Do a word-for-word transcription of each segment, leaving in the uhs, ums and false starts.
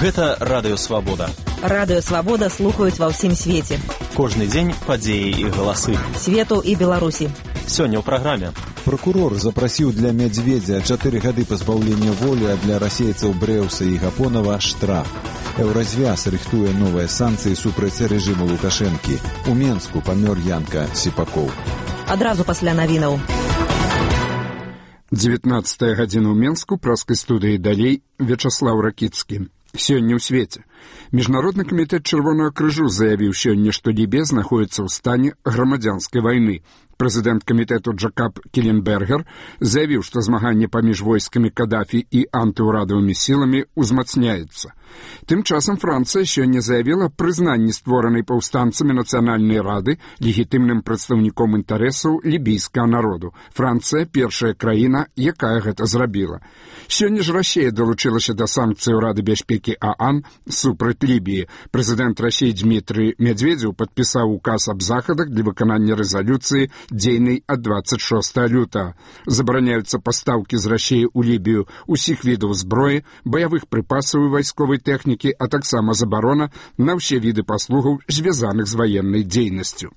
Гэта Радыё Свабода. Радыё Свабода слухаюць ва ўсім свеце. Кожны дзень падзеі і галасы. Свету і Беларусі. Сёння ў праграме. Прокурор запрасіў для Медведзя чатыры гады пазбаўлення волі, а для расейцаў Брэўса і Гапонава штраф. Еўразвяз рыхтуе новыя санкцыі супраць рэжыму Лукашэнкі. У Менску памёр Янка Сіпакоў. Адразу пасля навінаў. дзевятнаццатая гадзіна ў Менску, праскай студыі далей Вячаслаў Ракіцкі. Сёння ў свеце. Міжнародны камітэт Чырвонага крыжу заявіў сёння, што Лібія знаходзіцца ў стане грамадзянскай вайны. Прэзідэнт камітэту Джакаб Кіленбергер заявіў, што змаганне паміж войскамі Кадафі і антыўрадавымі сіламі ўзмацняецца. Тым часам Францыя сёння заявіла прызнанне створанай паўстанцамі Нацыянальнай рады легітымным прадстаўніком інтарэсаў лібійскага народу. Францыя – першая краіна, якая гэта зрабіла. Сёння ж Расія далучылася да санкцыяў Рады бяспекі ААН супраць Лібіі. Прэзідэнт Расіі Дмітрый Медведзеў падпісаў указ аб захадах для выканання рэзалюцыі дзейнай ад дваццаць шостага лютага. Забараняюцца пастаўкі з Расіі ў Лібію усіх відаў зброі, баявых прыпасаў і вайсковай тэхнікі, а таксама забарона на ўсе віды паслугаў, звязаных з ваеннай дзейнасцю.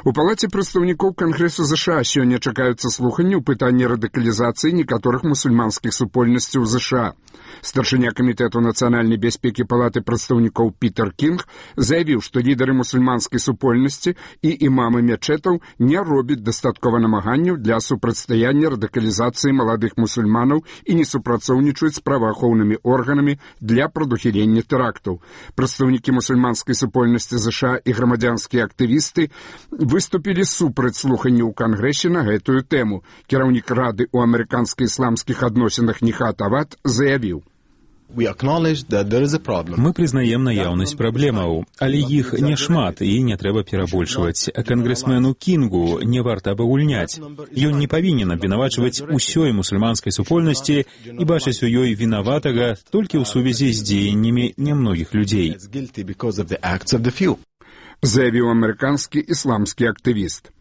У палаце прадстаўнікоў Кангрэсу ЗША сёння чакаюцца слуханні ў пытанні радыкалізацыі некаторых мусульманскіх супольнасцяў ЗША. Старшыня камітэту нацыянальнай бяспекі палаты прадстаўнікоў Пітер Кінг заявіў, што лідары мусульманскай супольнасці і імамы мечэтаў не робяць дастаткова намаганняў для супрацьстаяння радыкалізацыі маладых мусульманаў і не супрацоўнічаюць з праваахоўнымі органамі для прадухілення тэрактаў. Прадстаўнікі мусульманскай супольнасці ЗША і грамадзянскія актывісты выступілі супраць слуханняў у Кангрэсе на гэтую тэму. Кіраўнік Рады ў амерыканска-ісламскіх адносінах Нихат Авад заявіў: Мы прызнаем наяўнасць праблемаў, але іх няшмат і не трэба перабольшваць. Кангрэсмену Кінгу не варта абагульняць. Ён не павінен абвінавачваць усёй мусульманскай супольнасці і бачыць у ёй вінаватага толькі ў сувязі з дзеяннямі нямногіх людзей. Заявіў амерыканскі ісламскі актывіст.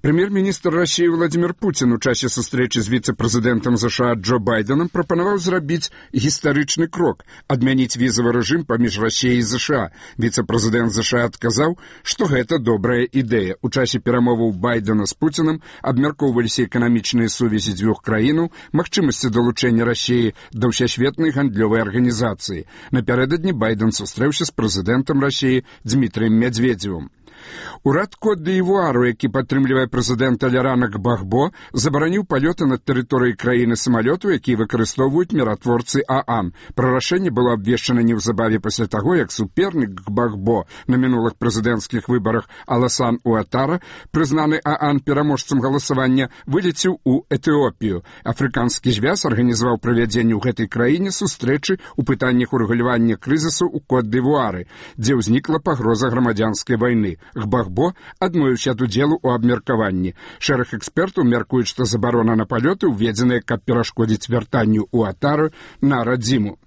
Прэм'ер-міністр Расіі Владзімір Пуцін у часе сустрэчы з віцэ-прэзідэнтам ЗША Джо Байденам прапанаваў зрабіць гістарычны крок – адмяніць візавы рэжым паміж Расіяй і ЗША. Віцэ-прэзідэнт ЗША адказаў, што гэта добрая ідэя. У часе перамоваў Байдена з Пуцінам абмяркоўваліся эканамічныя сувязі дзвюх краінаў, магчымасці далучэння Расіі да ўсесветнай гандлёвай арганізацыі. Напярэдадні Байден сустрэўся з прэзідэнтам Расіі Дмітрыем Медведзевым. Урад Кот-д'Івуару, які падтрымлівае прэзідэнта Лярана Гбагбо, забараніў палёты над тэрыторыяй краіны самалётаў, якія выкарыстоўваюць міратворцы ААН. Пра рашэнне было абвешчана неўзабаве пасля таго, як супернік Гбагбо на мінулых прэзідэнцкіх выбарах Аласан Уатара, прызнаны ААН пераможцам галасавання, вылецеў у Этыопію. Афрыканскі звяз арганізаваў правядзенне ў гэтай краіне сустрэчы ў пытаннях урэгулявання крызісу ў Кот-д'Івуары, дзе ўзнікла пагроза грамадзянскай вайны. Гбагбо адмовіўся ад удзелу ў абмеркаванні. Шэраг экспертаў мяркуюць, што забарона на палёты ўведзеная, каб перашкодзіць вяртанню Уатару на радзіму.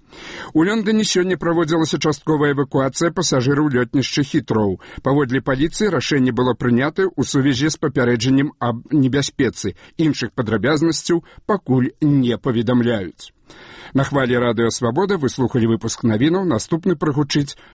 У Лондоне сёння праводзілася частковая эвакуацыя пасажыраў лётнішча Хітроу. Паводле паліцыі рашэнне было прынятае ў сувязі з папярэджаннем аб небяспецы. Іншых падрабязнасцяў пакуль не паведамляюць. На хвалі Радыё Свабода вы слухалі выпуск навінаў, наступны прагучыць